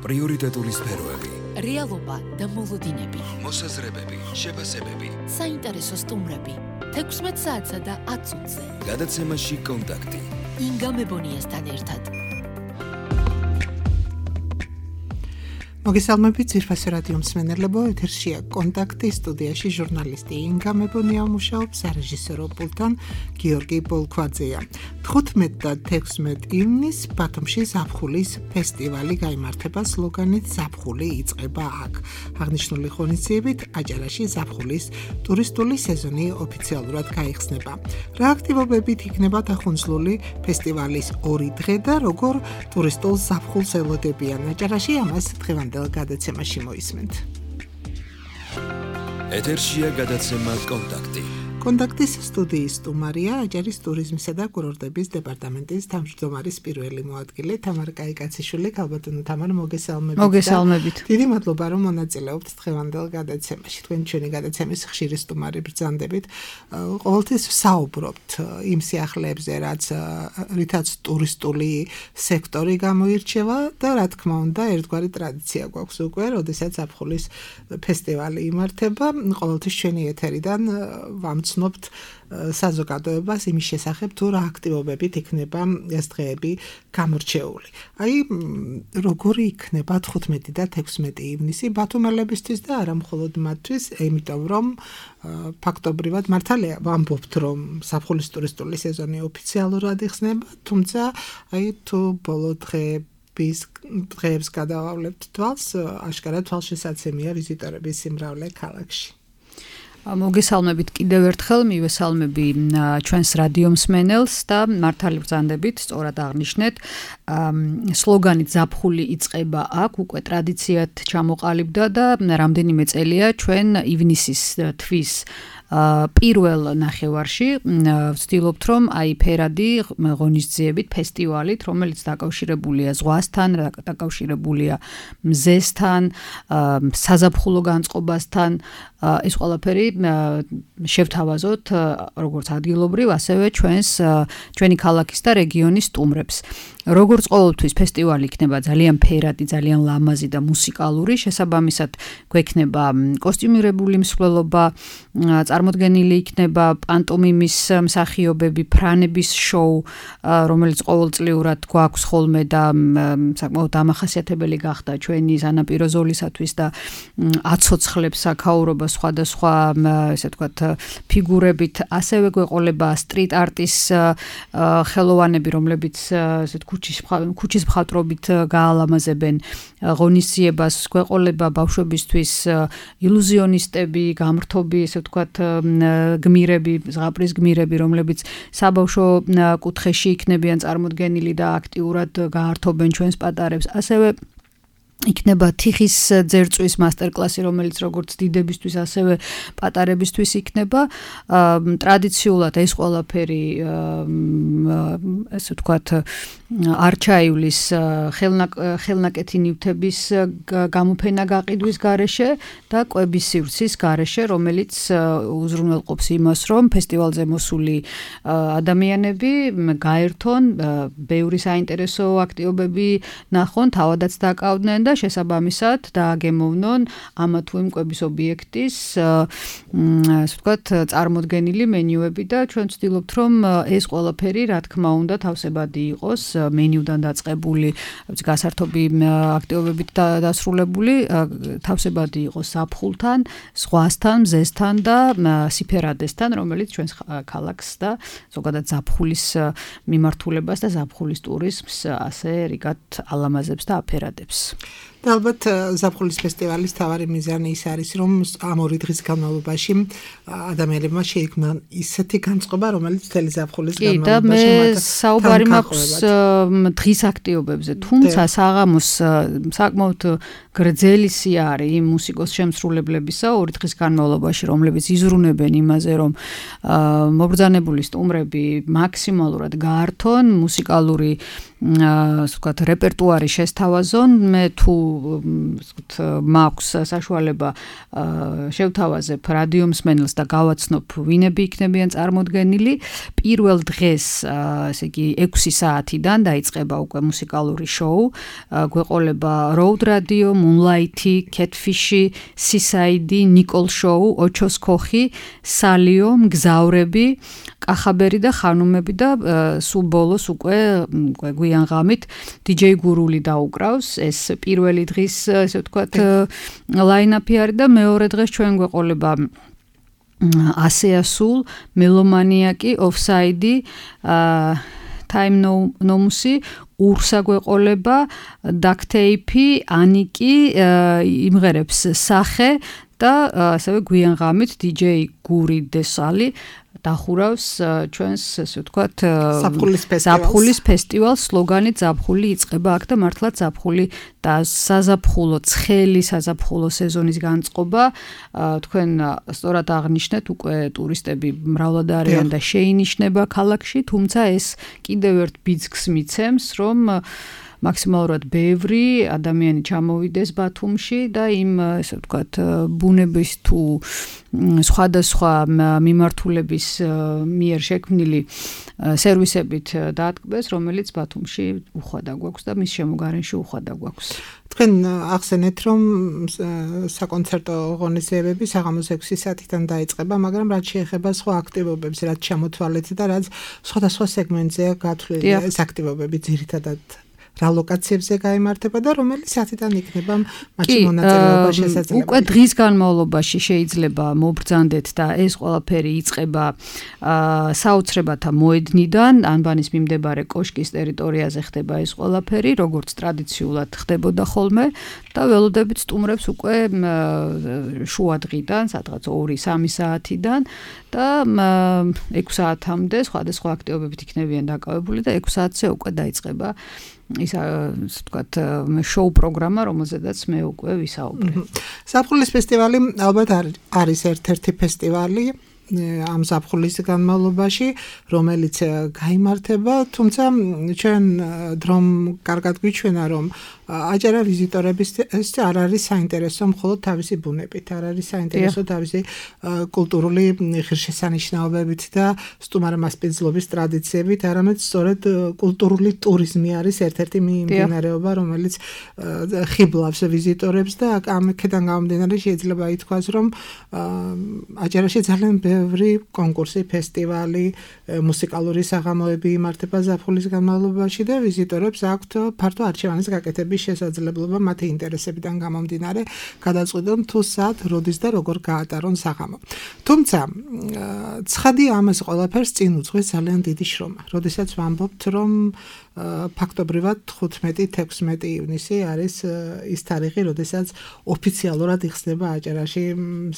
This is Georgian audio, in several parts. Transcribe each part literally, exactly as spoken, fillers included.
პრიორიტეტული სფეროები, რეალობა და მოლოდინები, მოსაზრებები, შეფასებები, საინტერესო სტუმრები, თექვსმეტ საათსა და ათ წუთზე. გადაცემაში კონტაქტი. ინგა მებონიასთან ერთად. მოგესალმებით ძვირფასი რადიო მსმენელებო, ეთერშია კონტაქტი, სტუდიაში ჟურნალისტი ინგა მებონია მუშაობს, სარეჟისორო პულტთან გიორგი ბოლქვაძეა. თხუთმეტ და თექვსმეტ ივნისს ბათუმში ზაფხულის ფესტივალი გაიმართება სლოგანით ზაფხული იწყება აქ. აღნიშნული ღონისძიებით აჭარაში ზაფხულის ტურისტული სეზონი ოფიციალურად გაიხსნება. რა აქტივობებით იქნება დახუნძლული ფესტივალის ორი დღე და როგორ ტურისტულ ზაფხულს ელოდებიან აჭარაში, ამას დღევანდელ გადაცემაში მოისმენთ. ეთერშია გადაცემა კონტაქტი. კონტაქტის სტუდიის სტუმარია აჭარის ტურიზმისა და კურორტების დეპარტამენტის თავმჯდომარის პირველი მოადგილე თამარ კაიკაციშვილი. ქალბატონო თამარ, მოგესალმებით. მოგესალმებით. დიდი მადლობა რომ მონაწილეობთ დღევანდელ გადაცემაში. თქვენ ჩვენი გადაცემის ხშირი სტუმარი ბრძანდებით. ყოველთვის საუბრობთ იმ სიახლეებზე, რაც რითაც ტურისტული სექტორი გამოირჩევა და რა თქმა უნდა, ერთგვარი ტრადიცია გვაქვს უკვე, როდესაც ზაფხულის ფესტივალი იმართება. ყოველთვის ჩვენი ეთერიდან ვამც ნობთ საზოგადოებას იმის შესახებ თუ რა აქტივობებით იქნება ეს დღეები გამორჩეული. აი როგორი იქნება თხუთმეტი და თექვსმეტი ივნისი ბათუმელებისთვის და არა მხოლოდ მათთვის, იმიტომ რომ ფაქტობრივად მართალია ვამბობთ რომ ზაფხულის ტურისტული სეზონი ოფიციალურად იხსნება, თუმცა აი თუ ბოლო დღეების დღეებს გადავავლებთ თვალს, აშკარად თვალშესაცემია ვიზიტორების სიმრავლე ქალაქში. მოგესალმებით კიდევ ერთხელ, მივესალმები ჩვენს რადიო მსმენელს და მართალი ბრძანდებით, სწორად აღნიშნეთ, სლოგანით ზაფხული იწყება აქ, უკვე ტრადიციად ჩამოყალიბდა და რამდენიმე წელია ჩვენ ივნისის თვის პირველ ნახევარში ვცდილობთ რომ აი ფერადი ღონისძიებით ფესტივალით, რომელიც დაკავშირებულია ზღვასთან, დაკავშირებულია მზესთან, საზაფხულო განწყობასთან, ეს ყველაფერი შევთავაზოთ როგორც ადგილობრივ, ასევე ჩვენს ჩვენი ქალაქის და რეგიონის სტუმრებს. როგორც ყოველთვის ფესტივალი იქნება ძალიან ფერადი, ძალიან ლამაზი და მუსიკალური, შესაბამისად გვექნება კოსტიუმირებული მსვლელობა, წარმოდგენილი იქნება პანტომიმის მსახიობები, ფრანების შოუ, რომელიც ყოველწლიურად გვაქვს ხოლმე და საკმაოდ დამახასიათებელი გახდა ჩვენი სანაპირო ზოლისათვის და აცოცხლებს საქაურობას სხვადასხვა ესე ვთქვათ ფიგურებით, ასევე გვეყოლება სტრიტ არტის ხელოვანები, რომლებიც ესე ქუჩის ქუჩის მხატვრობით გაალამაზებენ ღონისძიებას, გვეყოლება ბავშვებისთვის ილუზიონისტები, გამრთობი, ესე ვთქვათ გმირები, ზღაპრის გმირები, რომლებიც საბავშვო კუთხეში იქნებიან წარმოდგენილი და აქტიურად გაართობენ ჩვენს პატარებს. ასევე იქნება თიხის ძერწვის მასტერკლასი, რომელიც როგორც დიდებისთვის, ასევე პატარებისთვის იქნება. ტრადიციულად ეს ყველაფერი ესე ვთქვათ არჩაივლის ხელნაკეთი ნივთების გამოფენა გაყიდვის გარეშე და კვების სივრცის გარეშე, რომელიც უზრუნველყოფს იმას, რომ ფესტივალზე მოსული ადამიანები გაერთონ, ბევრი საინტერესო აქტივობები ნახონ, თავადაც დაკავდნენ და შესაბამისად დააგემოვნონ ამა თუ იმ კვების ობიექტის ასე ვთქვათ წარმოდგენილი მენიუები და ჩვენ ვცდილობთ რომ ეს ყველაფერი რა თქმა უნდა თავსებადი იყოს, მენიუდან დაწყებული, გასართობი აქტივობებით დასრულებული, თავსებადი იყოს ზაფხულთან, ზღვასთან, მზესთან და სიფერადესთან, რომელიც ჩვენს ქალაქს და ზოგადად ზაფხულის მიმართულებას და ზაფხულის ტურიზმს ასე რიგად ალამაზებს და აფერადებს. და ალბათ ზაფხულის ფესტივალის თავარი მიზანი ის არის, რომ ამ ორი დღის განმავლობაში ადამიანებმა შეიქმნან ისეთი განწყობა, რომელიც მთელი ზაფხულის განმავლობაში და მე საუბარი მაქვს დღის აქტივობებზე, თუმცა საღამოს საკმაოდ გრძელი სიარე იმ მუსიკოს შემსრულებლებისა ორი დღის განმავლობაში, რომლებიც იზრუნებენ იმაზე, რომ მობრძანებული სტუმრები მაქსიმალურად გაართონ მუსიკალური ასე ვთქვათ, რეპერტუარი შესთავაზონ, მე თუ მაქვს საშუალება შევთავაზებ რადიო მსმენელს და გავაცნობ ვინები იქნებიან წარმოდგენილი. პირველ დღეს, ესე იგი, ექვსი საათიდან დაიწყება უკვე მუსიკალური შოუ. გვეყოლება Road Radio, Moonlight, Catfish, Seaside, Nicole Show, ოჩოს ქოხი, სალიო, მგზავრები, კახაბერი და ხანუმები და სულ ბოლოს უკვე გვიან ღამით დიჯეი გურული დაუკრავს. ეს პირველი დღის, ესე ვთქვათ, ლაინაპი არის და მეორე დღეს ჩვენ გვეყოლება ასეასულ, მელომანიაკი, ოფსაიდი, Time Nomusi, Ursa გვეყოლება, Ducktape, Aniki, იმღერებს სახე და ასევე გვიან ღამით დიჯეი გური დესალი დახურავს ჩვენს, ესე ვთქვათ, ზაფხულის ფესტივალს. სლოგანი ზაფხული იწყება აქ და მართლაც ზაფხული და საზაფხულო, ცხელი საზაფხულო სეზონის განწყობა. თქვენ სწორად აღნიშნეთ, უკვე ტურისტები მრავლად არიან და შეინიშნება ქალაქში, თუმცა ეს კიდევ ერთ ბიძგს მიცემს, რომ მაქსიმალურად ბევრი ადამიანი ჩამოვიდეს ბათუმში და იმ, ესე ვთქვათ, ბუნების თუ სხვადასხვა მიმართულების მიერ შექმნილი სერვისებით დაატკბეს, რომელიც ბათუმში უხვადა გვაქვს და მის შემოგარენში უხვადა გვაქვს. თქვენ ახსენეთ, რომ საკონცერტო ღონისძიებები საღამოს ექვსი საათიდან დაიწყება, მაგრამ რაც შეეხება სხვა აქტივობებს, რაც ჩამოთვალეთ და რაც სხვადასხვა სეგმენტზეა გათვლილი ეს აქტივობები ძირითადად რა ლოკაციებზე გაიმართება და რომელი საათიდან იქნება მათი მონაწილეობა შესაძლებელი. უკვე დღის განმავლობაში შეიძლება მობრძანდეთ და ეს ყველაფერი იწყება საოცრებათა მოედნიდან, ანბანის მიმდებარე კოშკის ტერიტორიაზე ხდება ეს ყველაფერი, როგორც ტრადიციულად ხდებოდა ხოლმე და ველოდებით სტუმრებს უკვე შუა დღიდან, სადღაც ორი სამი საათიდან და ექვსი საათამდე სხვადასხვა აქტივობებით იქნებიან დაკავებული და ექვსი საათზე უკვე დაიწყება ის ვთქვათ შოუ პროგრამა, რომელზედაც მე უკვე ვისაუბრე. ზაფხულის ფესტივალი ალბათ არის ერთ-ერთი ფესტივალი ამ ზაფხულის განმავლობაში, რომელიც გაიმართება, თუმცა ჩვენ დრომ კარგად გვიჩვენა, რომ აჯარა ვიზიტორების ეს არ არის საინტერესო მხოლოდ თავისი ბუნებით, არ არის საინტერესო თავისი კულტურული ღირსშესანიშნაობებით და სტუმართმასპინძლობის ტრადიციებით, არამედ სწორედ კულტურული ტურიზმი არის ერთ-ერთი მიმდინარეობა, რომელიც ხიბლავს ვიზიტორებს და ამქედან გამომდინარე შეიძლება ითქვას, რომ აჯარაში ძალიან ბევრი კონკურსი, ფესტივალი, მუსიკალური საღამოები იმართება ზაფხულის განმავლობაში და ვიზიტორებს აქვთ ფართო არჩევანის გაკეთების შესაძლებლობა მათი ინტერესებიდან გამომდინარე გადაწყვიტონ თუ სად, როდის და როგორ გაატარონ საღამო. თუმცა ცხადია ამას ყველაფერს წინ უძღვის ძალიან დიდი შრომა. როდესაც ვამბობთ, რომ ფაქტობრივად ხუთმეტი თექვსმეტი ივნისი არის ის თარიღი, როდესაც ოფიციალურად იხსნება აჭარაში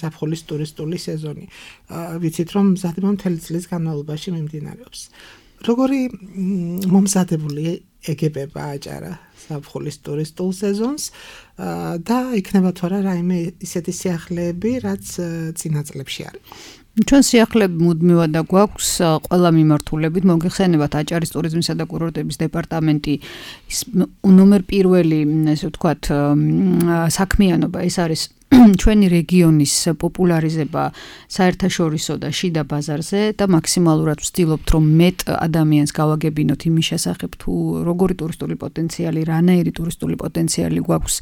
ზაფხულის ტურისტული სეზონი. ვიცით, რომ მზადება მთელი წლის განმავლობაში მიმდინარეობს. როგორი მომზადებული ეგებება აჭარა ზაფხულის ტურისტულ სეზონს და იქნება თუ არა რაიმე ისეთი სიახლეები, რაც წინა წლებში არის. ჩვენ სიახლეები მუდმივად და გვაქვს ყველა მიმართულებით. მოგეხსენებათ აჭარის ტურიზმისა და კურორტების დეპარტამენტი ნომერ პირველი, ესე ვთქვათ, საქმიანობა ეს არის ჩვენი რეგიონის პოპულარიზება საერთაშორისო და შიდა ბაზარზე და მაქსიმალურად ვცდილობთ, რომ მეტ ადამიანს გავაგებინოთ იმის შესახებ, თუ როგორი ტურისტული პოტენციალი, რანაირი ტურისტული პოტენციალი გვაქვს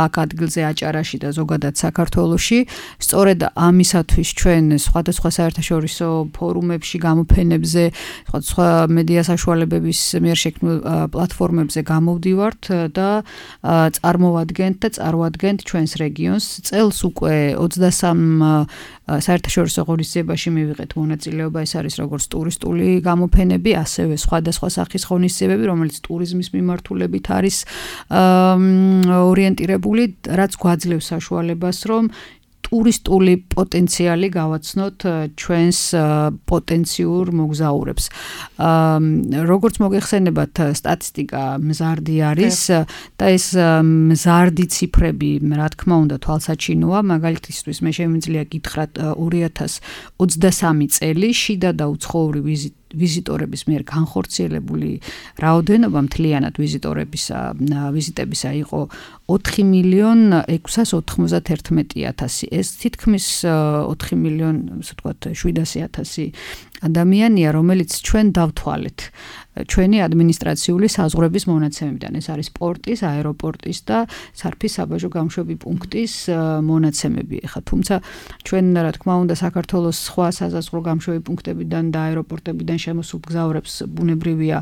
აქ ადგილზე აჭარაში და ზოგადად საქართველოში. სწორედ ამისათვის ჩვენ სხვადასხვა საერთაშორისო ფორუმებში, გამოფენებზე, სხვადასხვა მედია საშუალებების მიერ შექმნილ პლატფორმებზე გამოვდივართ და წარმოვადგენთ და წარვადგენთ ჩვენს რეგიონს. წელს უკვე ოცდასამ საერთაშორისო ღონისძიებაში მივიღეთ მონაწილეობა, ეს არის როგორც ტურისტული გამოფენები, ასევე სხვადასხვა სახის ღონისძიებები, რომელიც ტურიზმის მიმართულებით არის ორიენტირებული, რაც გვაძლევს საშუალებას, რომ ტურისტული პოტენციალი გავაცნოთ ჩვენს პოტენციურ მოგზაურებს. როგორც მოგეხსენებათ, სტატისტიკა მზარდი არის და ეს მზარდი ციფრები, რა თქმა უნდა, თვალსაჩინოა. მაგალითისთვის მე შემიძლია გითხრათ ორი ათას ოცდასამი წელი შიდა და უცხოური ვიზიტ ვიზიტორების მიერ განხორციელებული რაოდენობა მთლიანად ვიზიტორებისა ვიზიტებისა იყო ოთხი მილიონ ექვსას ოცდაათი ათასი. ეს თითქმის ოთხი მილიონ, ასე ვთქვათ, შვიდასი ათასი ადამიანია, რომელიც ჩვენ დავთვალეთ ჩვენი ადმინისტრაციული საზღვრების მონაცემებიდან. ეს არის პორტის, აეროპორტის და სარფის საბაჟო გამშვები პუნქტის მონაცემები. ეხლა თუმცა ჩვენ რა თქმა უნდა საქართველოს სხვა საზღვრო გამშვები პუნქტებიდან და აეროპორტებიდან შემოსულ მგზავრებს ბუნებრივია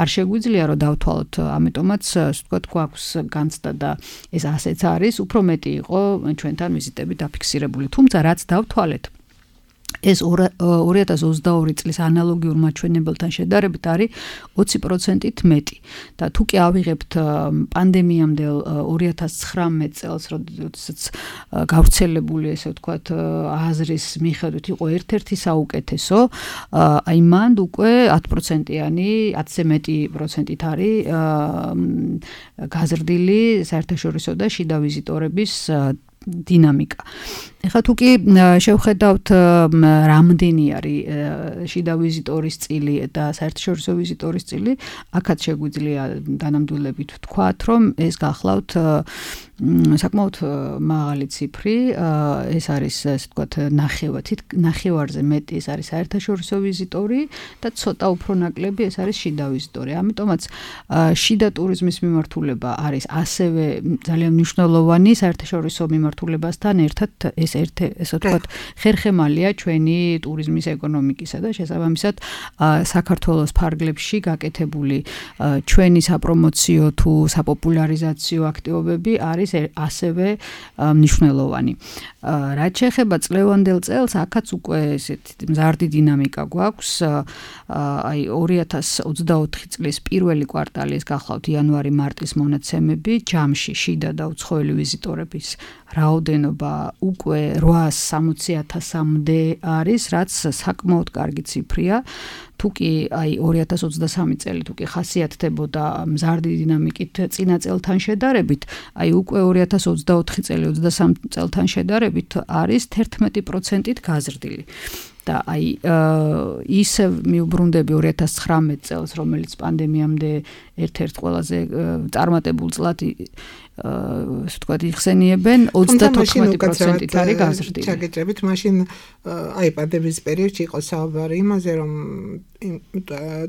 არ შეგვიძლია რომ დავთვალოთ, ამიტომაც ასე ვთქვათ, გვაქვს განცდა და ეს ასეც არის, უფრო მეტი იყო ჩვენთან ვიზიტები დაფიქსირებული. თუმცა რაც დავთვალეთ ეს ორი ათას ოცდაორი წლის ანალოგიურ მაჩვენებელთან შედარებით არის ოცი პროცენტით მეტი. და თუ კი ავიღებთ პანდემიამდე ორი ათას ცხრამეტ წელს, როდესაც გავრცელებული, ესე ვთქვათ, აზრის მიხედვით იყო ერთ-ერთი საუკეთესო, აი მანდ უკვე ათი პროცენტიანი, ათზე მეტი პროცენტით არის გაზრდილი საერთაშორისო და შიდა ვიზიტორების დინამიკა. ეხლა თუ კი შევხედავთ რამდენი არის შიდა ვიზიტორის წილი და საერთაშორისო ვიზიტორის წილი, აქაც შეგვიძლია დანამდვილებით ვთქვათ, რომ ეს გახლავთ საკმაოდ მაღალი ციფრი, ეს არის ასე ვთქვათ ნახევარი, ნახევარზე მეტი ეს არის საერთაშორისო ვიზიტორი და ცოტა უფრო ნაკლები ეს არის შიდა ვიზიტორი. ამიტომაც შიდა ტურიზმის მიმართულება არის ასევე ძალიან მნიშვნელოვანი საერთაშორისო მიმართულებასთან ერთად ეს ერთ ესე ვთქვათ ხერხემალია ჩვენი ტურიზმის ეკონომიკისა და შესაბამისად საქართველოს ფარგლებში გაკეთებული ჩვენი საპრომოციო თუ საპოპულარიზაციო აქტივობები არის ასევე მნიშვნელოვანი. რაც შეეხება წლევანდელ წელს, აქაც უკვე ესეთი მზარდი დინამიკა გვაქვს. აი ორი ათას ოცდაოთხი წლის პირველი კვარტალი, ეს გახლავთ იანვარი-მარტის მონაცემები, ჯამში შიდა და უცხოელი ვიზიტორების რაოდენობა უკვე რვაას სამოცი ათასამდე არის, რაც საკმაოდ კარგი ციფრია. თუ კი აი ორი ათას ოცდასამი წელი თუ კი ხასიათდებოდა მზარდი დინამიკით წინა წელთან შედარებით, აი უკვე ორი ათას ოცდაოთხი წელი ოცდასამ წელთან შედარებით არის თერთმეტი პროცენტით გაზრდილი. და აი ისევ მიუბრუნდები ორი ათას ცხრამეტ წელს, რომელიც პანდემიამდე ერთ-ერთ ყველაზე წარმატებულ წლად ასე ვთქვათ იხსენიებენ, ოცდათოთხმეტი პროცენტით არის გაზრდილი. ჩაგეჭრებით, მაშინ აი პანდემიის პერიოდში იყო საუბარი იმაზე, რომ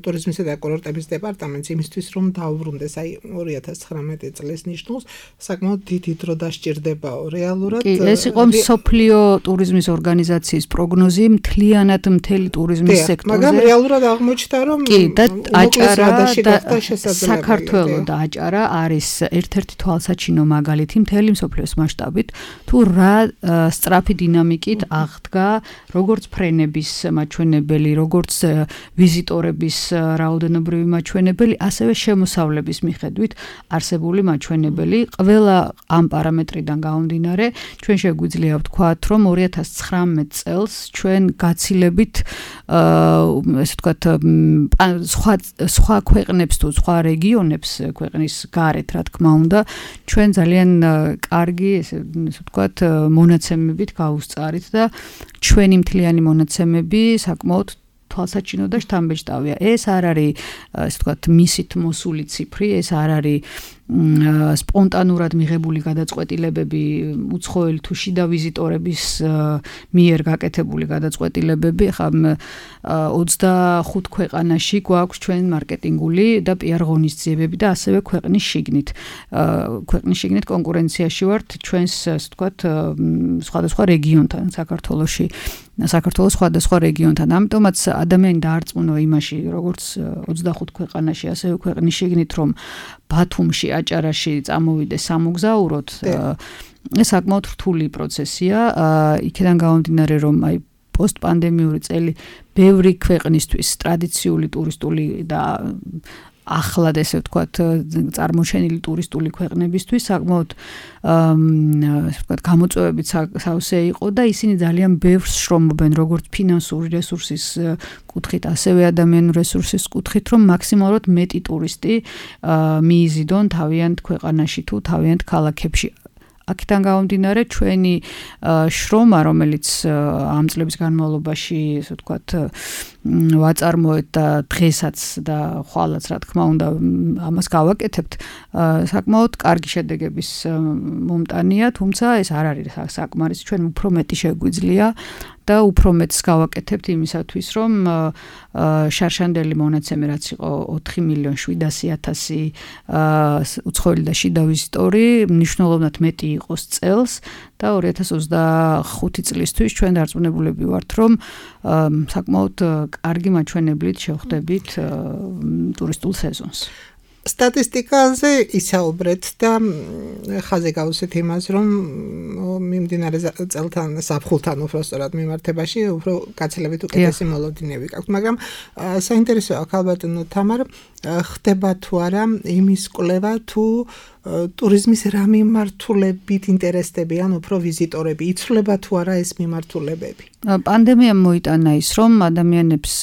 ტურიზმისა და კურორტების დეპარტამენტს იმისთვის რომ დაუბრუნდეს აი ორი ათას ცხრამეტი წლის ნიშნულს, საკმაოდ დიდი დრო დასჭირდებაო რეალურად. კი, ეს იყო მსოფლიო ტურიზმის ორგანიზაციის პროგნოზი მთლიანად მთელი ტურიზმის სექტორზე. მაგრამ რეალურად აღმოჩნდა, რომ კი, და აჭარა და საქართველო და აჭარა არის ერთ-ერთი თვალსაჩინო მაგალითი მთელი მსოფლიოს მასშტაბით, თუ რა სწრაფი დინამიკით აღდგა როგორც ფრენების მაჩვენებელი, როგორც ვიზიტორების რაოდენობრივი მაჩვენებელი, ასევე შემოსავლების მიხედვით არსებული მაჩვენებელი. ყველა ამ პარამეტრიდან გამომდინარე, ჩვენ შეგვიძლია ვთქვათ, რომ ორი ათას ცხრამეტ წელს ჩვენ გაცილებით ესე ვთქვათ სხვა სხვა ქვეყნებს თუ სხვა რეგიონებს ქვეყნის გარეთ, რა თქმა უნდა, ჩვენ ძალიან კარგი ესე ვთქვათ მონაცემებით გავუსწარით და ჩვენი მთლიანი მონაცემები საკმაოდ თვალსაჩინო და შთამბეჭდავია. ეს არ არის ასე ვთქვათ მისით მოსული ციფრი, ეს არ არის სპონტანურად მიღებული გადაწყვეტილებები უცხოელი თუ შიდა ვიზიტორების მიერ გაკეთებული გადაწყვეტილებები. ხა ოცდახუთ ქვეყანაში გვაქვს ჩვენ მარკეტინგული და პიარ ღონისძიებები და ასევე ქვეყნის შიგნით. ქვეყნის შიგნით კონკურენციაში ვართ ჩვენს ასე ვთქვათ სხვადასხვა რეგიონთან საქართველოში. საქართველოს სხვადასხვა რეგიონთან. ამიტომაც ადამიანი დაარწმუნა იმაში, როგორც ოცდახუთ ქვეყანაში, ასევე ქვეყნის შიგნით, რომ ბათუმში, აჭარაში წამოვიდეს სამოგზაუროდ, ეს საკმაოდ რთული პროცესია. იქიდან გამომდინარე, რომ აი პოსტპანდემიური წელი ბევრი ქვეყნისთვის ტრადიციული ტურისტული და ახლად ესე ვთქვათ წარმოჩენილი ტურისტული ქვეყნებისთვის საკმაოდ ასე ვთქვათ გამოწვევებით სავსე იყო და ისინი ძალიან ბევრს შრომობენ როგორც ფინანსური რესურსის კუთხით, ასევე ადამიანური რესურსის კუთხით, რომ მაქსიმალურად მეტი ტურისტი მიიზიდონ თავიანთ ქვეყანაში თუ თავიანთ ქალაქებში. აქედან გამომდინარე ჩვენი შრომა, რომელიც ამ წლების განმავლობაში, ესე ვთქვათ, ვაწარმოეთ და დღესაც და ხვალაც რა თქმა უნდა ამას გავაკეთებთ, საკმაოდ კარგი შედეგების მომტანია, თუმცა ეს არ არის საკმარისი, ჩვენ უფრო მეტი შეგვიძლია და უფრო მეტს გავაკეთებთ იმისათვის, რომ შარშანდელი მონაცემი რაც იყო ოთხი მილიონი შვიდასი ათასი უცხოელი და შიდა ვიზიტორი, მნიშვნელოვნად მეტი იყოს წელს და ორი ათას ოცდახუთი წლისთვის ჩვენ დარწმუნებულები ვართ, რომ საკმაოდ კარგი მაჩვენებლით შევხვდებით ტურისტულ სეზონს. სტატისტიკაზე ისაუბრეთ და ხაზე გავუსვით იმას, რომ მიმდინარე წელთან საფხულთან უფრო სწორად მიმართებაში უფრო გაცილებით უკეთესი მოლოდინები გაქვთ, მაგრამ საინტერესოა ქალბატონო თამარ, ხდება თუ არა იმის კვლევა თუ ტურიზმის რა მიმართულებით ინტერესდებიან უფრო ვიზიტორები, იცვლება თუ არა ეს მიმართულებები? პანდემიამ მოიტანა ის, რომ ადამიანებს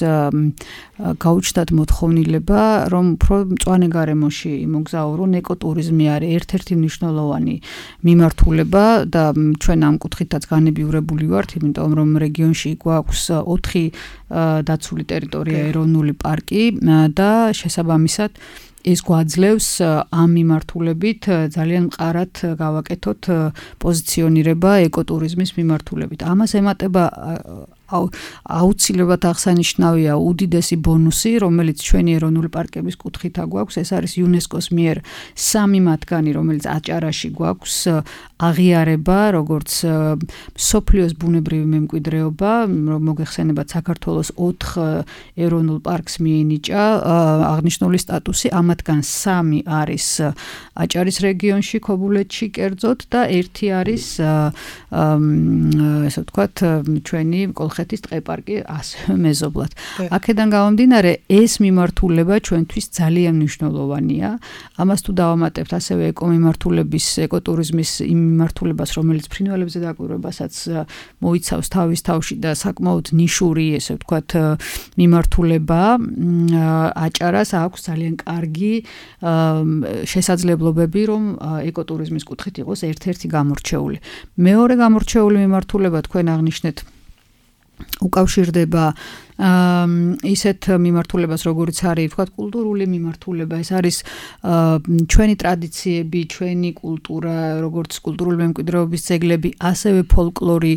გაუჩნდათ მოთხოვნილება, რომ უფრო მწვანე გარემოში იმოგზაურონ, ეკოტურიზმი არის ერთ-ერთი მნიშვნელოვანი მიმართულება და ჩვენ ამ კუთხითაც განებივრებული ვართ, იმიტომ რომ რეგიონში გვაქვს ოთხი დაცული ტერიტორია, ეროვნული პარკი და შესაბამისად ეს გვაძლევს ამ მიმართულებით ძალიან მყარად გავაკეთოთ პოზიციონირება ეკოტურიზმის მიმართულებით. ამას ემატება აუცილებლად აღსანიშნავია უდიდესი ბონუსი, რომელიც ჩვენი ეროვნული პარკების კუთხით აგვაქვს, ეს არის იუნესკოს მიერ სამი მათგანი, რომელიც აჭარაში გვაქვს აღიარება, როგორც მსოფლიოს ბუნებრივი მემკვიდრეობა, მოგეხსენებათ საქართველოს ოთხ ეროვნულ პარკს მიენიჭა აღნიშნული სტატუსი, ამათგან სამი არის აჭარის რეგიონში, ქობულეთში კერძოდ და ერთი არის ესე ვთქვათ ჩვენი კოლხეთის ტყეპარკი ასევე მეზობლად. აქედან გამომდინარე ეს მიმართულება ჩვენთვის ძალიან მნიშვნელოვანია. ამას თუ დავამატებთ ასევე ეკომიმართულების, ეკოტურიზმის იმ მიმართულებას, რომელიც ფრინველებზე დაკვირვებასაც მოიცავს თავის თავში და საკმაოდ ნიშური, ესე ვთქვათ, მიმართულება, აჭარას აქვს ძალიან კარგი შესაძლებლობები, რომ ეკოტურიზმის კუთხით იყოს ერთ-ერთი გამორჩეული. მეორე გამორჩეული მიმართულება თქვენ აღნიშნეთ უკავშირდება ისეთ მიმართულებას, როგორც არის, თქვათ, კულტურული მიმართულება, ეს არის ჩვენი ტრადიციები, ჩვენი კულტურა, როგორც კულტურული მემკვიდრეობის ძეგლები, ასევე ფოლკლორი,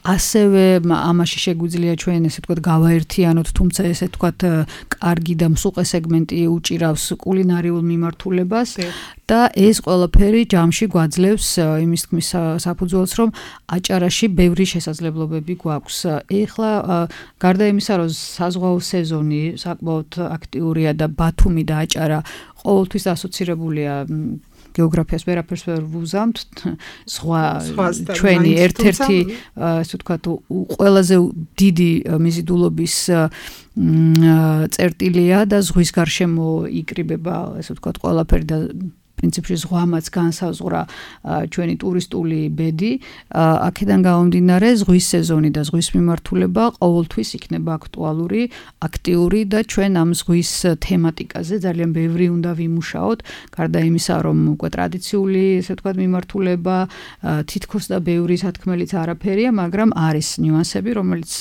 ასევე ამაში შეგვიძლია ჩვენ ესე ვთქვათ გავაერთიანოთ, თუმცა ესე ვთქვათ კარგი და მსუყე სეგმენტი უჭირავს კულინარიულ მიმართულებას და ეს ყველაფერი ჯამში გვაძლევს იმის თქმის საფუძველს, რომ აჭარაში ბევრი შესაძლებლობები გვაქვს. ეხლა გარდა იმისა, რომ საზღვაო სეზონი საკმაოდ აქტიურია და ბათუმი და აჭარა ყოველთვის ასოცირებულია გეოგრაფიას ვერაფერს ვერ ვუზამთ, სხვა ჩვენი ერთ-ერთი ასე ვთქვათ ყველაზე დიდი მიზიდულობის წერტილია და ზღვის გარშემო იკრიბება, ასე ვთქვათ, ყველაფერი და პრინციპში ზღვამაც განსაზღვრა ჩვენი ტურისტული ბედი. აქედან გამომდინარე ზღვის სეზონი და ზღვის მიმართულება ყოველთვის იქნება აქტუალური, აქტიური და ჩვენ ამ ზღვის თემატიკაზე ძალიან ბევრი უნდა ვიმუშაოთ, გარდა იმისა, რომ უკვე ტრადიციული, ესე ვთქვათ, მიმართულება, თითქოს და ბევრი სათქმელიც არაფერია, მაგრამ არის ნიუანსები, რომელიც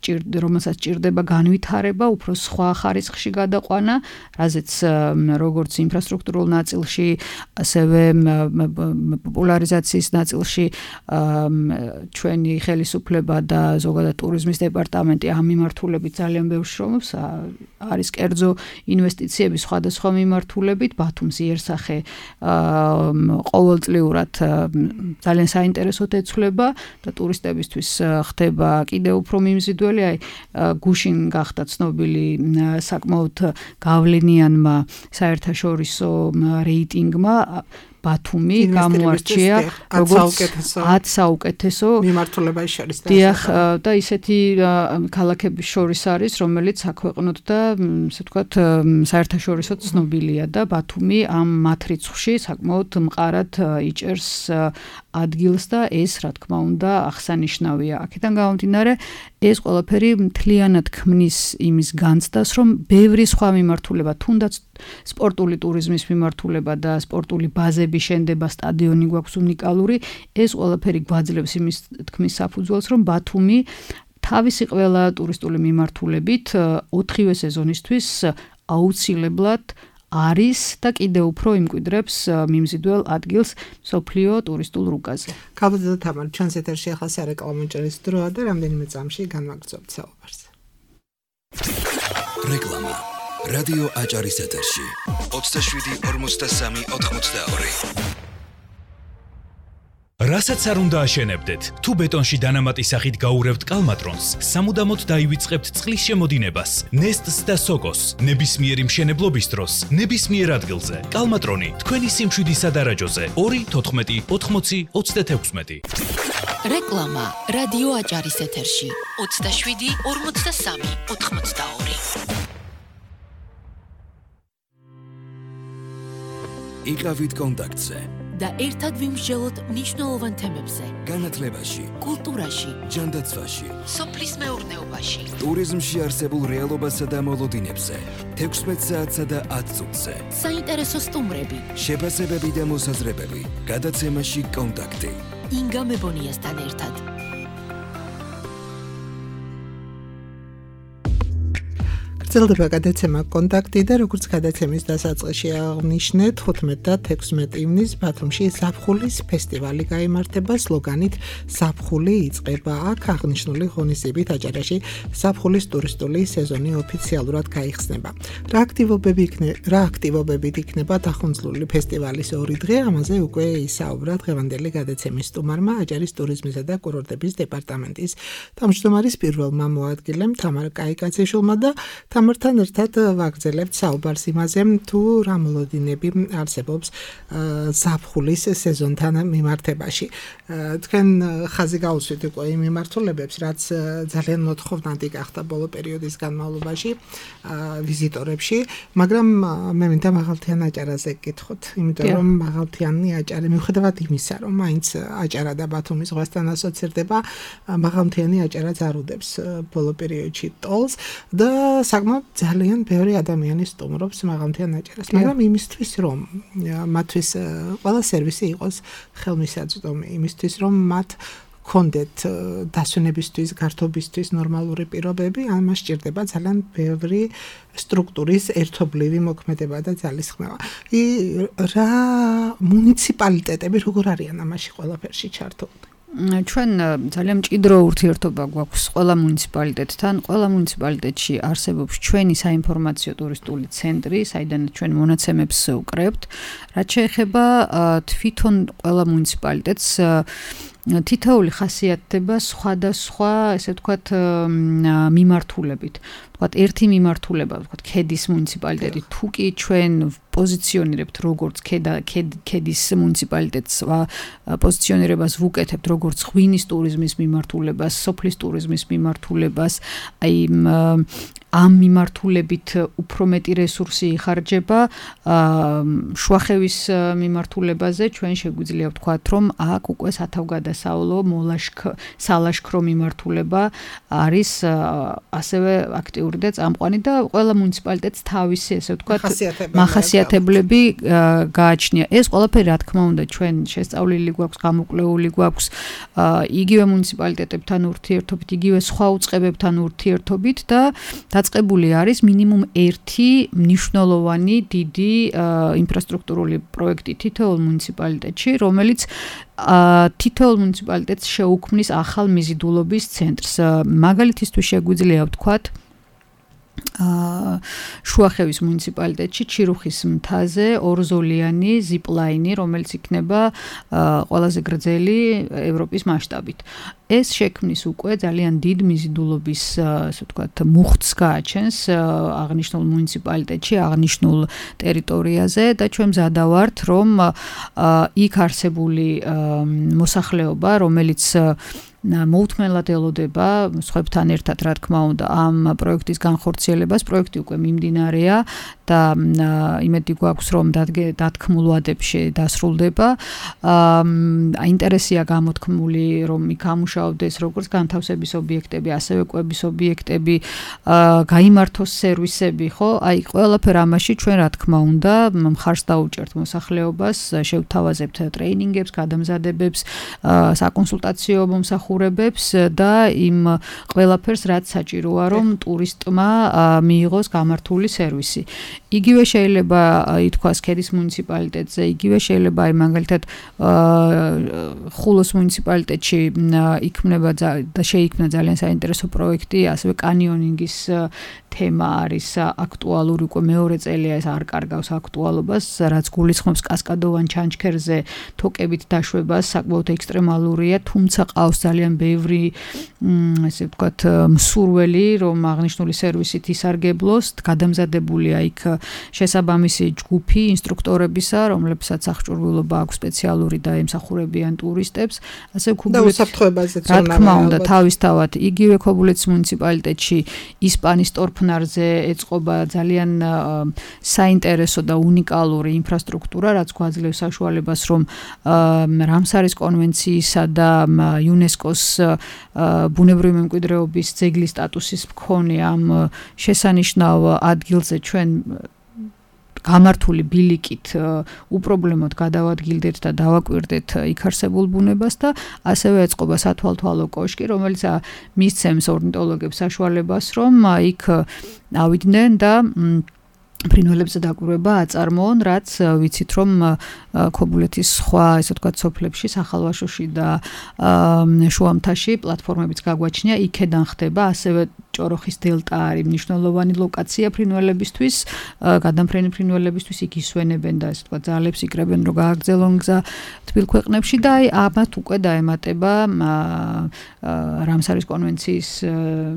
რომელსაც ჭირდება განვითარება, უფრო სხვა ხარისხში გადაყვანა, რაზეც როგორც ინფრასტრუქტურულ ნაწილში, ასევე პოპულარიზაციის ნაწილში ჩვენი ხელისუფლება და ზოგადად ტურიზმის დეპარტამენტი ამ მიმართულებით ძალიან ბევრ შრომობს, არის კერძო ინვესტიციები სხვადასხვა მიმართულებით, ბათუმს იერსახე ყოველწლიურად ძალიან საინტერესოდ ეცვლება და ტურისტებისთვის ხდება კიდევ უფრო მიმზიდველი. აი გუშინ გახდა ცნობილი საკმაოდ გავლენიანმა საერთაშორისო რეიტინგმა ბათუმი გამოარჩია როგორც ათ საუკეთესო მიმართულებაში შორის და ისეთი ქალაქების შორის არის, რომელიც საქვეყნოდ და ასე ვთქვათ საერთაშორისო ცნობილია და ბათუმი ამ მათ რიცხვში საკმაოდ მყარად იჭერს ადგილს და ეს რა თქმა უნდა აღსანიშნავია. აქედან გამომდინარე ეს ყველაფერი მთლიანად ქმნის იმის განცდას, რომ ბევრი სხვა მიმართულება, თუნდაც სპორტული ტურიზმის მიმართულება და სპორტული ბაზების შენდება, სტადიონი გვაქვს უნიკალური. ეს ყველაფერი გვაძლევს იმის თქმის საფუძველს, რომ ბათუმი თავისი ყველა ტურისტული მიმართულებით ოთხივე სეზონისთვის აუცილებლად არის და კიდევ უფრო იმკვიდრებს მიმზიდველ ადგილს მსოფლიო ტურისტულ რუკაზე. ქალბატონო თამარ, ჩვენს ეთერში ახლა სარეკლამო ჭრის დროა და რამდენიმე წამში განვაგრძობთ საუბარს. რეკლამა. რადიო აჭარის ეთერში. ოცდაშვიდი ორმოცდასამი ოთხმოცდაორი. რასაც არ უნდა აშენებდეთ, თუ ბეტონში დანამატის სახით გაურევთ კალმატრონს, სამუდამოდ დაივიწყებთ წყლის შემოდინებას, ნესტს და სოკოს, ნებისმიერი მშენებლობის დროს, ნებისმიერ ადგილზე. კალმატრონი თქვენი სიმშვიდისა დარაჯოზე ორი თოთხმეტი ოთხმოცი ოცდათექვსმეტი. რეკლამა რადიო აჭარის ეთერში ოცდაშვიდი ორმოცდასამი ოთხმოცდაორი. იყავით კონტაქტზე. და ერთად ვიმსჯელოთ მნიშვნელოვან თემებზე. განათლებაში, კულტურაში, ჯანდაცვაში, სოფლის მეურნეობაში, ტურიზმში არსებულ რეალობასა და მოლოდინებზე, თექვსმეტ საათსა და ათ წუთზე. საინტერესო სტუმრები, შეფასებები და მოსაზრებები. გადაცემაში კონტაქტი. ინგა მებონიასთან ერთად. გრძელდება გადაცემა კონტაქტი და როგორც გადაცემის დასაწყისში აღნიშნეთ, ხუთმეტი და თექვსმეტი ივნის ბათუმში ზაფხულის ფესტივალი გაიმართება სლოგანით ზაფხული იწყება. აქ აღნიშნული ღონისძიებით აჭარაში ზაფხულის ტურისტული სეზონი ოფიციალურად გაიხსნება. რა აქტივობები იქნება, რა აქტივობებით იქნება დახუნძლული ფესტივალის ორი დღე, ამაზე უკვე ისაუბრა დღევანდელი გადაცემის სტუმარმა აჭარის ტურიზმისა და კურორტების დეპარტამენტის თავმჯდომარის პირველმა მოადგილემ თამარ კაიკაციშვილმა და თამართან ერთად ვაგრძელებთ საუბარს იმაზე, თუ რა მოლოდინები არსებობს ზაფხულის სეზონთან მიმართებაში. თქვენ ხაზი გაუსვით უკვე იმ მიმართულებებს, რაც ძალიან მოთხოვნადი გახდა ბოლო პერიოდის განმავლობაში ვიზიტორებში, მაგრამ მე მინდა მაღალთიან აჭარაზე გკითხოთ, იმიტომ რომ მაღალთიანი აჭარი მიუხედავად იმისა, რომ მაინც აჭარა და ბათუმის ზღვასთან ასოცირდება, მაღალთიანი აჭარა ზარუდებს ბოლო პერიოდში ტოლს და საკმაოდ ძალიან ბევრი ადამიანი სტუმრობს მაღალმთიან აჭარას, მაგრამ იმისთვის რომ მათთვის ყველა სერვისი იყოს ხელმისაწვდომი, იმისთვის რომ მათ კონდეთ დასვენებისთვის, გართობისთვის ნორმალური პირობები, ამას სჭირდება ძალიან ბევრი სტრუქტურის ერთობლივი მოქმედება და ძალისხმევა. რა მუნიციპალიტეტები როგორ არიან ამაში ყველაფერში ჩართულნი? ჩვენ ძალიან მჭიდრო ურთიერთობა გვაქვს ყველა მუნიციპალიტეტთან. ყველა მუნიციპალიტეტში არსებობს ჩვენი საინფორმაციო ტურისტული ცენტრი, საიდანაც ჩვენ მონაცემებს ვკრებთ. რაც შეეხება თვითონ ყველა მუნიციპალიტეტს თითოეული ხასიათდება სხვადასხვა, ესე ვთქვათ, მიმართულებით. ვთქვათ, ერთი მიმართულება, ვთქვათ, ქედის მუნიციპალიტეტი, თუ კი ჩვენ პოზიციონირებთ როგორც ქედის მუნიციპალიტეტს პოზიციონირებას ვუკეთებთ როგორც ღვინის ტურიზმის მიმართულებას, სოფლის ტურიზმის მიმართულებას, აი ამ მიმართულებით უფრო მეტი რესურსი იხარჯება შუახევის მიმართულებაზე. ჩვენ შეგვიძლია ვთქვათ, რომ აქ უკვე სათავგადასავლო სალაშქრო მიმართულება არის ასევე აქტიური და წამყვანი და ყველა მუნიციპალიტეტს თავისი, ესე ვთქვათ, მახასიათებლები გააჩნია. ეს ყველაფერი, რა თქმა უნდა, ჩვენ შესწავლილი გვაქვს, გამოკვლეული გვაქვს იგივე მუნიციპალიტეტებთან ურთიერთობით, იგივე სხვა უწყებებთან ურთიერთობით და დაწყებული არის მინიმუმ ერთი მნიშვნელოვანი დიდი ინფრასტრუქტურული პროექტი თითოეულ მუნიციპალიტეტში, რომელიც თითოეულ მუნიციპალიტეტს შეუქმნის ახალ მიზიდულობის ცენტრს. მაგალითისთვის შეგვიძლია ვთქვათ, შუახევის მუნიციპალიტეტში ჩირუხის მთაზე ორზოლიანი ზიპლაინი, რომელიც იქნება ყველაზე გრძელი ევროპის მასშტაბით. ეს შექმნის უკვე ძალიან დიდ მიზიდულობის, ასე ვთქვათ, მუხტს გააჩენს აღნიშნულ მუნიციპალიტეტში, აღნიშნულ ტერიტორიაზე და ჩვენ მზადა ვართ, რომ იქ არსებული მოსახლეობა, რომელიც მოუთმენლად ელოდება სხვებთან ერთად, რა თქმა უნდა, ამ პროექტის განხორციელებას. პროექტი უკვე მიმდინარეა და იმედი გვაქვს რომ დათქმულ ვადებში დასრულდება. ინტერესია გამოთქმული რომ გამუშავდეს როგორც განთავსების ობიექტები, ასევე კვების ობიექტები, გაიმართოს სერვისები, ხო? აი ყველაფერ ამაში ჩვენ რა თქმა უნდა მხარს დაუჭერთ მოსახლეობას, შევთავაზებთ ტრეინინგებს, გადამზადებებს, საკონსულტაციო მომსახურებებს და იმ ყველაფერს რაც საჭიროა რომ ტურისტმა მიიღოს გამართული სერვისი. იგივე შეიძლება ითქვას ქედის მუნიციპალიტეტზე, იგივე შეიძლება აი მაგალითად ხულოს მუნიციპალიტეტში იქმნება და შეიქმნა ძალიან საინტერესო პროექტი, ასევე კანიონინგის თემა არის აქტუალური, უკვე მეორე წელია ეს არ კარგავს აქტუალობას, რაც გულისხმობს კასკადოვან ჩანჩქერზე თოკებით დაშვებას, საკმაოდ ექსტრემალურია, თუმცა ყავს ძალიან ბევრი ესე ვთქვათ მსურველი, რომ აღნიშნული სერვისით ისარგებლოს, გადამზადებულია იქ შესაბამისი ჯგუფი ინსტრუქტორებისა, რომლებსაც აღჭურვილობა აქვს სპეციალური და ემსახურებიან ტურისტებს, ასე ქობულეთის და უსაფრთხოებაზეც რა თქმა უნდა, თავისთავად იგივე ქობულეთის მუნიციპალიტეტში ისპანის ტორფნარზე ეწყობა ძალიან საინტერესო და უნიკალური ინფრასტრუქტურა, რაც გვაძლევს საშუალებას, რომ რამსარის კონვენციისა და იუნესკოს ბუნებრივი მემკვიდრეობის ძეგლის სტატუსის მქონე ამ შესანიშნავ ადგილზე ჩვენ გამართული ბილიკით უპრობლემოდ გადავადგილდეთ და დავაკვირდეთ იქ არსებულ ბუნებას და ასევე ეწყობა სათვალთვალო კოშკი, რომელიც მისცემს ორნიტოლოგებს საშუალებას, რომ იქ ავიდნენ და ფრინველებზე დაკვირვება აწარმოონ, რაც ვიცით რომ ქობულეთის სხვა, ესე ვთქვათ, სოფლებში, სახალვაშოში და შუამთაში პლატფორმებიც გაგვაჩნია, იქედან ხდება, ასევე ჭოროხის დელტა არის მნიშვნელოვანი ლოკაცია ფრინველებისთვის, გადამფრენი ფრინველებისთვის, იქ ისვენებენ და ესე ვთქვათ, ძალებს იკრებენ, რომ გააგრძელონ გზა თბილ ქვეყნებში და აი ამათ უკვე დაემატება რამსარის კონვენციის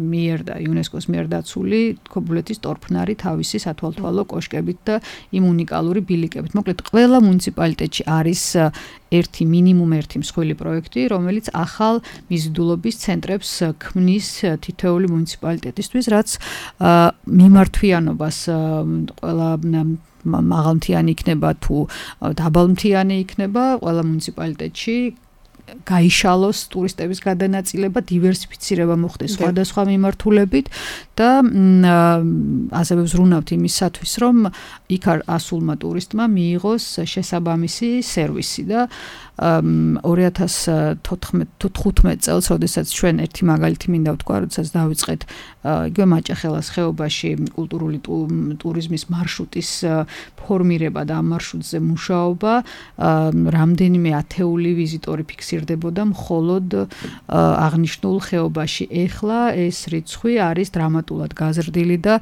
მიერ და იუნესკოს მიერ დაცული ქობულეთის ტორფნარი თავისი სათვალთვალო კოშკებით და იმ უნიკალური ბილიკებით. მოკლედ, ყველა მუნიციპალიტეტში არის ერთი მინიმუმ ერთი მსხვილი პროექტი, რომელიც ახალ მიზიდულობის ცენტრებს ქმნის თითოეული მუნიციპალიტეტისთვის, რაც მიმართვიანობას ყველა მაღალმთიანი იქნება თუ დაბალმთიანი იქნება, ყველა მუნიციპალიტეტში გაიშალოს ტურისტების გადანაწილება, დივერსიფიცირება მოხდეს სხვადასხვა მიმართულებით და ასევე ვზრუნავთ იმისათვის, რომ იქ ასულმა ტურისტმა მიიღოს შესაბამისი სერვისი და ორი ათას თხუთმეტ წელს, როდესაც ჩვენ ერთი მაგალითი მინდა ვთქვა, როდესაც დავიწყეთ იგივე მაჭახელას ხეობაში კულტურული ტურიზმის მარშრუტის ფორმირება და ამ მარშრუტზე მუშაობა, რამდენიმე ათეული ვიზიტორი ფიქსირდებოდა მხოლოდ აღნიშნულ ხეობაში. ეხლა ეს რიცხვი არის დრამატულად გაზრდილი და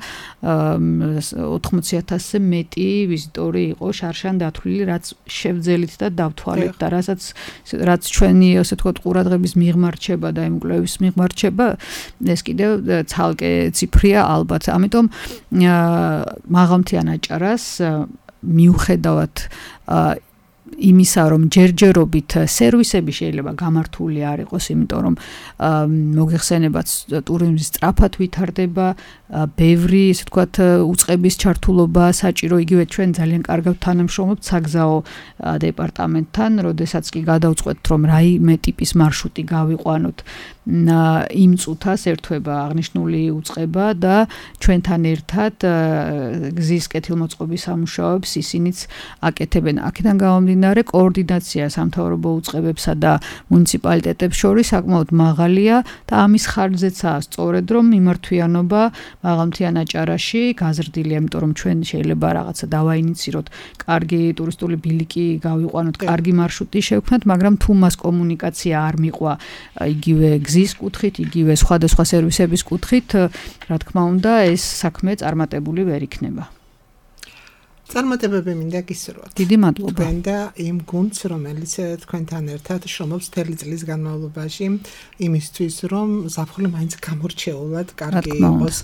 ოთხმოცი ათასზე მეტი ვიზიტორი იყო შარშან დათვლილი, რაც შევძელით და დავთვალეთ და რასაც რაც ჩვენი ასე ვთქვათ ყურადღების მიღმარჩება და იმ კვლევის მიღმარჩება, ეს კიდევ ცალკე ციფრია ალბათ. ამიტომ მაღალმთიან აჭარას მიუხედავად იმისა, რომ ჯერჯერობით სერვისები შეიძლება გამართული არ იყოს, იმიტომ რომ მოგეხსენებათ ტურიზმის სწრაფად ვითარდება, ბევრი, ესე ვთქვათ, უწყების ჩართულობა საჭირო, იგივე ჩვენ ძალიან კარგად თანამშრომლობთ საგზაო დეპარტამენტთან, როდესაც კი გადავწყვეტთ, რომ რაიმე ტიპის მარშრუტი გავიყვანოთ, იმ წუთას ერთვება აღნიშნული უწყება და ჩვენთან ერთად გზის კეთილმოწყობის სამუშაოებს ისინიც აკეთებენ. აქედან გამომდინარე, კოორდინაცია სამთავრობო უწყებებსა და მუნიციპალიტეტებს შორის საკმაოდ მაღალია და ამის ხარჯზეცაა სწორედ, რომ მიმართვიანობა მაღალმთიან აჭარაში გაზრდილია, იმიტომ რომ ჩვენ შეიძლება რაღაცა დავაინიციროთ, კარგი ტურისტული ბილიკი გავიყვანოთ, კარგი მარშრუტი შევქმნათ, მაგრამ თუ მას კომუნიკაცია არ მიყვა იგივე გზის კუთხით, იგივე სხვადასხვა სერვისების კუთხით, რა თქმა უნდა, ეს საქმე წარმატებული ვერ იქნება. წარმატებები მინდა გისურვოთ. დიდი მადლობა. თქვენ და იმ გუნდს, რომელიც თქვენთან ერთად შრომობს მთელი წლის განმავლობაში იმისთვის, რომ ზაფხული მაინც გამორჩეულად კარგი იყოს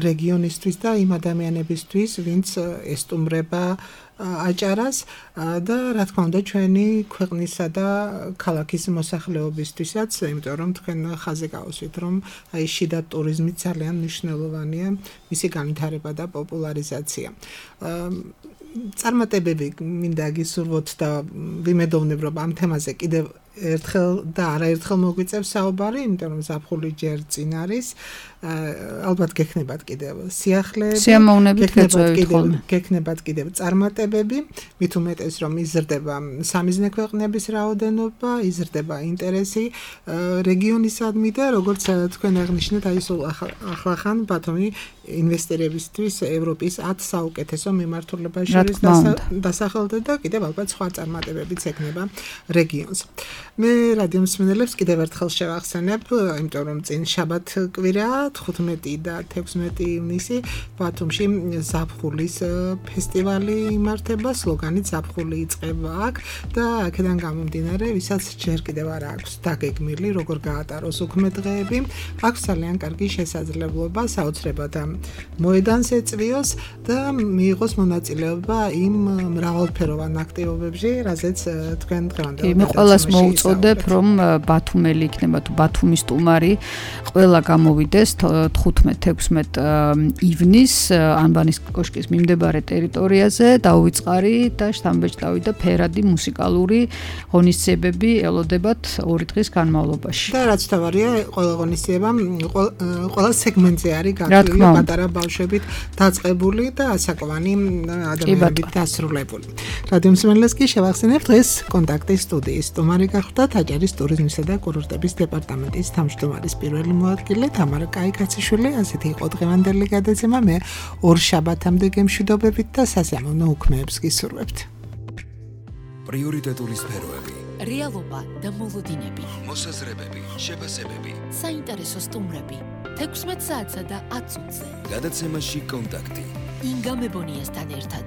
რეგიონისთვის და იმ ადამიანებისთვის, ვინც ესტუმრება აჭარას და რა თქმა უნდა ჩვენი ქვეყნისა და ქალაქის მოსახლეობისთვისაც, იმიტომ რომ თქვენ ხაზზე გავუსვით, რომ აი შიდა ტურიზმი ძალიან მნიშვნელოვანია, მისი განვითარება და პოპულარიზაცია. წარმატებები მინდა გისურვოთ და ვიმედოვნებ, რომ ამ თემაზე კიდევ ერთხელ და არაერთხელ მოგვიწევს საუბარი, იმიტომ რომ ზაფხული ჯერ წინ არის. ალბათ გექნებათ კიდევ სიახლეები, სიამოვნებით გეწევით ხოლმე. გექნებათ კიდევ წარმატებები, მით უმეტეს რომ იზრდება სამიზნე ქვეყნების რაოდენობა, იზრდება ინტერესი რეგიონისადმი და როგორც თქვენ აღნიშნეთ, აი სულ ახლახან ბათუმი ინვესტორებისთვის ევროპის ათ საუკეთესო მიმართულებას შორის დასახელდა და კიდევ ალბათ სხვა წარმატებებიც ექნება რეგიონს. მე რადიო მსმენელებს კიდევ ერთხელ შევახსენებ, იმიტომ რომ წინ შაბათ კვირა თხუთმეტი და თექვსმეტი ივნისი ბათუმში ზაფხულის ფესტივალი იმართება, სლოგანით ზაფხული იწყება აქ და აქედან გამომდინარე, ვისაც ჯერ კიდევ არ აქვს დაგეგმილი, როგორ გაატაროს უქმე დღეები, აქვს ძალიან კარგი შესაძლებლობა საოცრებად მოედანს ეწვიოს და მიიღოს მონაწილეობა იმ მრავალფეროვან აქტივობებში, რაზეც თქვენ დღევანდელ მე ყველას მოუწოდებ, რომ ბათუმელი იქნება თუ ბათუმის სტუმარი, ყველა გამოვიდეს თხუთმეტ თექვსმეტ ივნის ანბანის კოშკის მიმდებარე ტერიტორიაზე, დაუვიწყარი და შთამბეჭდავი და ფერადი მუსიკალური ღონისძიებები ელოდებათ ორი დღის განმავლობაში. და რაც თავარია, ყველა ღონისძიება ყველა სეგმენტზე არის გათვლილი, პატარა ბავშვებით დაწყებული და ასაკვანი ადამიანებით დასრულებული. რადიო მსმენელს კი შევახსენებ, დღეს კონტაქტის სტუდიის სტუმარი გახლდათ აჭარის ტურიზმისა და კურორტების დეპარტამენტის თავმჯდომარის პირველი მოადგილე თამარა კაიკაციშვილი. ასეთი იყო დღევანდელი გადაცემა. მე ორ შაბათამდე გემშვიდობებით და სასიამოვნო უქმეებს გისურვებთ. პრიორიტეტული სფეროები, რეალობა და მოლოდინები, მოსაზრებები, შეფასებები, საინტერესო სტუმრები, თექვსმეტ საათსა და ათ წუთზე. გადაცემაში კონტაქტი. ინგა მებონიასთან ერთად.